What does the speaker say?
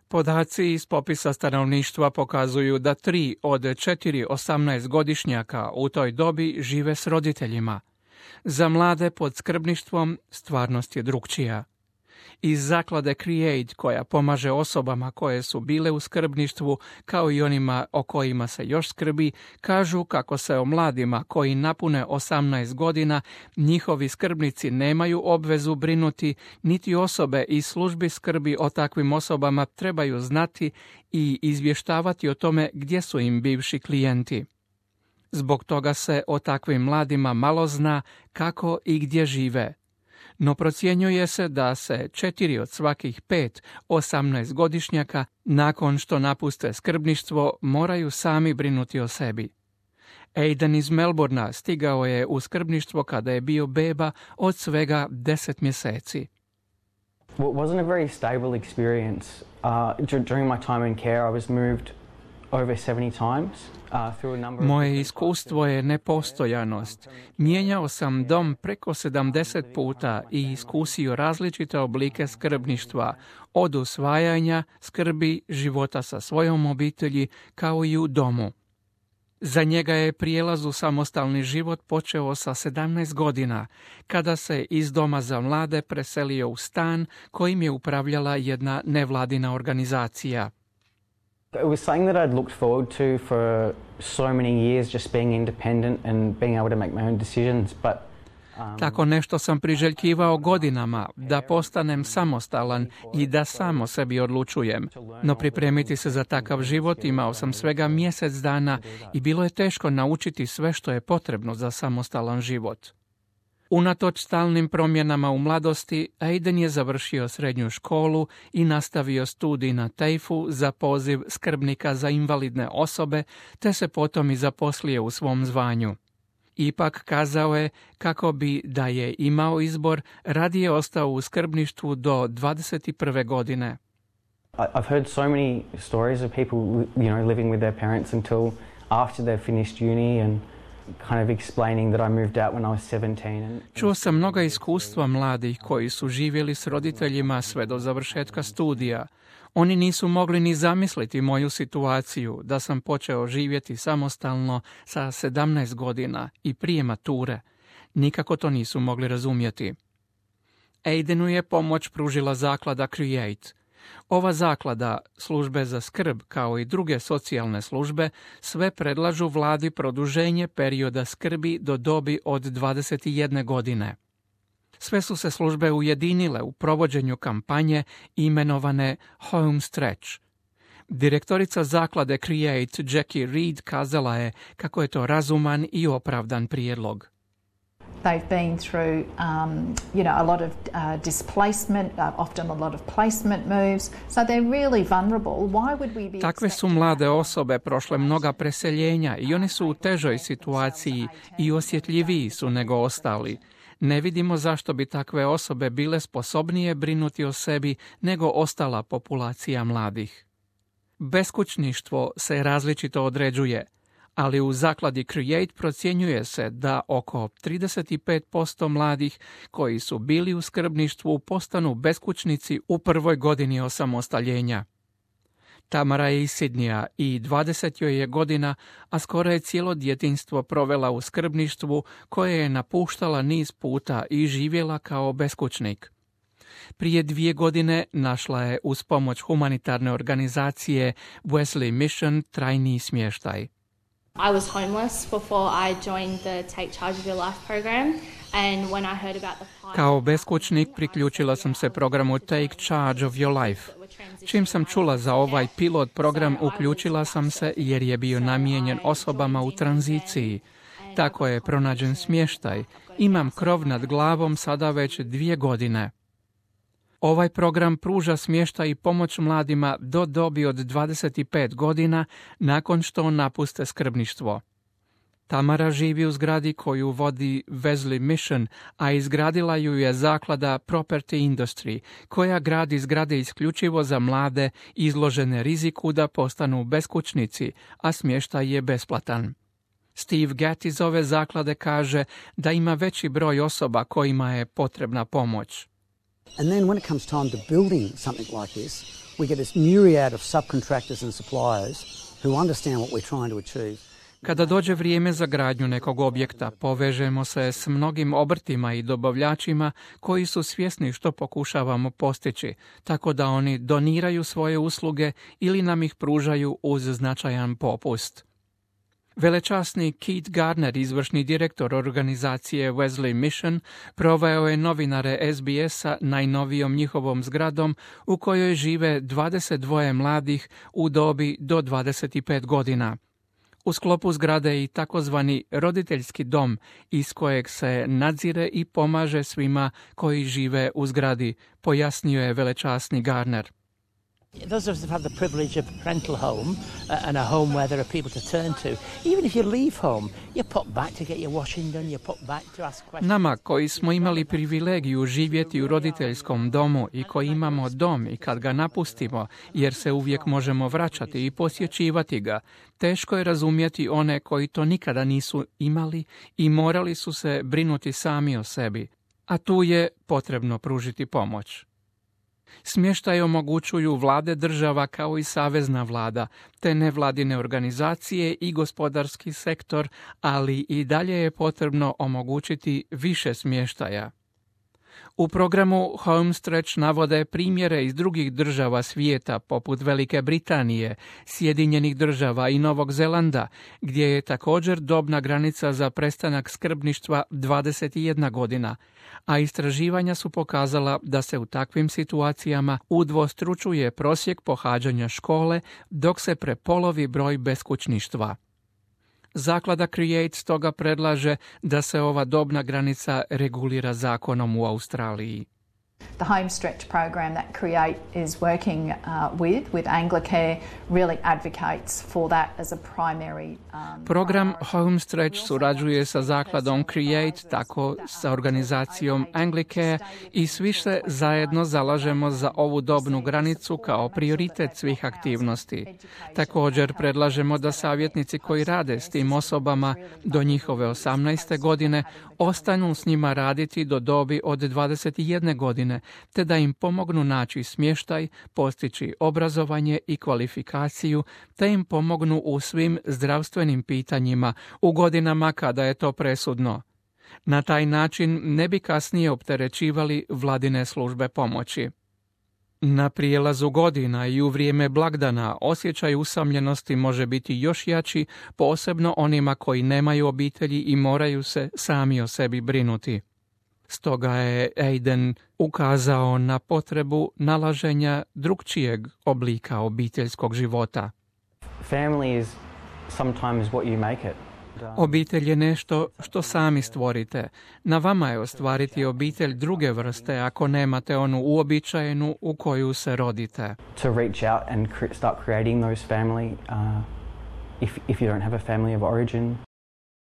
Podaci iz popisa stanovništva pokazuju da 3 od 4 18-godišnjaka u toj dobi žive s roditeljima. Za mlade pod skrbništvom stvarnost je drukčija. Iz zaklade Create, koja pomaže osobama koje su bile u skrbništvu, kao i onima o kojima se još skrbi, kažu kako se o mladima koji napune 18 godina njihovi skrbnici nemaju obvezu brinuti, niti osobe iz službi skrbi o takvim osobama trebaju znati i izvještavati o tome gdje su im bivši klijenti. Zbog toga se o takvim mladima malo zna kako i gdje žive. No procjenjuje se da se 4 od svakih 5 18-godišnjaka nakon što napuste skrbništvo moraju sami brinuti o sebi. Aiden iz Melbournea stigao je u skrbništvo kada je bio beba od svega 10 mjeseci. Well, it wasn't a very stable experience. During my time in care, I was moved over 70 times. Moje iskustvo je nepostojanost. Mijenjao sam dom preko 70 puta i iskusio različite oblike skrbništva, od usvajanja, skrbi, života sa svojom obitelji, kao i u domu. Za njega je prijelaz u samostalni život počeo sa 17 godina, kada se iz doma za mlade preselio u stan kojim je upravljala jedna nevladina organizacija. It was something that I'd looked forward to for so many years, just being independent and being able to make my own decisions, but tako nešto sam priželjkivao godinama, da postanem samostalan i da samo sebi odlučujem. No pripremiti se za takav život imao sam svega mjesec dana i bilo je teško naučiti sve što je potrebno za samostalan život. Unatoč stalnim promjenama u mladosti, Aiden je završio srednju školu i nastavio studij na TAFE-u za poziv skrbnika za invalidne osobe, te se potom i zaposlio u svom zvanju. Ipak kazao je kako bi, da je imao izbor, radije ostao u skrbništvu do 21. godine. I've heard so many stories of people, living with their parents until after they've finished uni and kind of explaining that I moved out when I was 17. Čuo sam mnoga iskustva mladih koji su živjeli s roditeljima sve do završetka studija. Oni nisu mogli ni zamisliti moju situaciju, da sam počeo živjeti samostalno sa 17 godina i prije mature. Nikako to nisu mogli razumjeti. Aidenu je pomoć pružila zaklada Create. Ova zaklada, službe za skrb kao i druge socijalne službe, sve predlažu vladi produženje perioda skrbi do dobi od 21 godine. Sve su se službe ujedinile u provođenju kampanje imenovane Home Stretch. Direktorica zaklade Create, Jackie Reed, kazala je kako je to razuman i opravdan prijedlog. They've been through, a lot of displacement, often a lot of placement moves, so they're really vulnerable. Why would we be... Takve su mlade osobe prošle mnoga preseljenja i oni su u težoj situaciji i osjetljiviji su nego ostali. Ne vidimo zašto bi takve osobe bile sposobnije brinuti o sebi nego ostala populacija mladih. Beskućništvo se različito određuje, ali u zakladi Create procjenjuje se da oko 35% mladih koji su bili u skrbništvu postanu beskućnici u prvoj godini osamostaljenja. Tamara je iz Sidneya i 20 joj je godina, a skoro je cijelo djetinjstvo provela u skrbništvu koje je napuštala niz puta i živjela kao beskućnik. Prije 2 godine našla je uz pomoć humanitarne organizacije Wesley Mission trajni smještaj. I was homeless before I joined the Take Charge of Your Life program, and when I heard about the Kao beskućnik priključila sam se programu Take Charge of Your Life. Čim sam čula za ovaj pilot program, uključila sam se jer je bio namijenjen osobama u tranziciji. Tako je pronađen smještaj. Imam krov nad glavom sada već 2 godine. Ovaj program pruža smještaj i pomoć mladima do dobi od 25 godina nakon što napuste skrbništvo. Tamara živi u zgradi koju vodi Wesley Mission, a izgradila ju je zaklada Property Industry, koja gradi zgrade isključivo za mlade izložene riziku da postanu beskućnici, a smještaj je besplatan. Steve Gatt iz ove zaklade kaže da ima veći broj osoba kojima je potrebna pomoć. And then when it comes time to building something like this, We get this myriad of subcontractors and suppliers who understand what we're trying to achieve. Kada dođe vrijeme za gradnju nekog objekta, povežemo se s mnogim obrtima i dobavljačima koji su svjesni što pokušavamo postići, tako da oni doniraju svoje usluge ili nam ih pružaju uz značajan popust. Velečasni Keith Garner, izvršni direktor organizacije Wesley Mission, proveo je novinare SBS-a najnovijom njihovom zgradom u kojoj žive 22 mladih u dobi do 25 godina. U sklopu zgrade je i takozvani roditeljski dom iz kojeg se nadzire i pomaže svima koji žive u zgradi, pojasnio je velečasni Garner. Those of us that have the privilege of a parental home and a home where there are people to turn to, even if you leave home, you pop back to get your washing done, you pop back to ask questions. Nama koji smo imali privilegiju živjeti u roditeljskom domu i koji imamo dom i kad ga napustimo, jer se uvijek možemo vraćati i posjećivati ga, teško je razumjeti one koji to nikada nisu imali i morali su se brinuti sami o sebi, a tu je potrebno pružiti pomoć. Smještaj omogućuju vlade država kao i savezna vlada, te nevladine organizacije i gospodarski sektor, ali i dalje je potrebno omogućiti više smještaja. U programu Homestretch navode primjere iz drugih država svijeta, poput Velike Britanije, Sjedinjenih država i Novog Zelanda, gdje je također dobna granica za prestanak skrbništva 21 godina, a istraživanja su pokazala da se u takvim situacijama udvostručuje prosjek pohađanja škole, dok se prepolovi broj beskućništva. Zaklada Create stoga predlaže da se ova dobna granica regulira zakonom u Australiji. The Homestretch program that Create is working with Anglicare, really advocates for that as a primary. Program Homestretch surađuje sa zakladom Create, tako sa organizacijom Anglicare, i svi se zajedno zalažemo za ovu dobnu granicu kao prioritet svih aktivnosti. Također predlažemo da savjetnici koji rade s tim osobama do njihove 18. godine ostanu s njima raditi do dobi od 21 godine, te da im pomognu naći smještaj, postići obrazovanje i kvalifikaciju, te im pomognu u svim zdravstvenim pitanjima u godinama kada je to presudno. Na taj način ne bi kasnije opterećivali vladine službe pomoći. Na prijelazu godina i u vrijeme blagdana osjećaj usamljenosti može biti još jači, posebno onima koji nemaju obitelji i moraju se sami o sebi brinuti. Stoga je Aiden ukazao na potrebu nalaženja drukčijeg oblika obiteljskog života. Family is sometimes what you make it. Obitelj je nešto što sami stvorite. Na vama je ostvariti obitelj druge vrste ako nemate onu uobičajenu u koju se rodite. To reach out and start creating those family if you don't have a family of origin.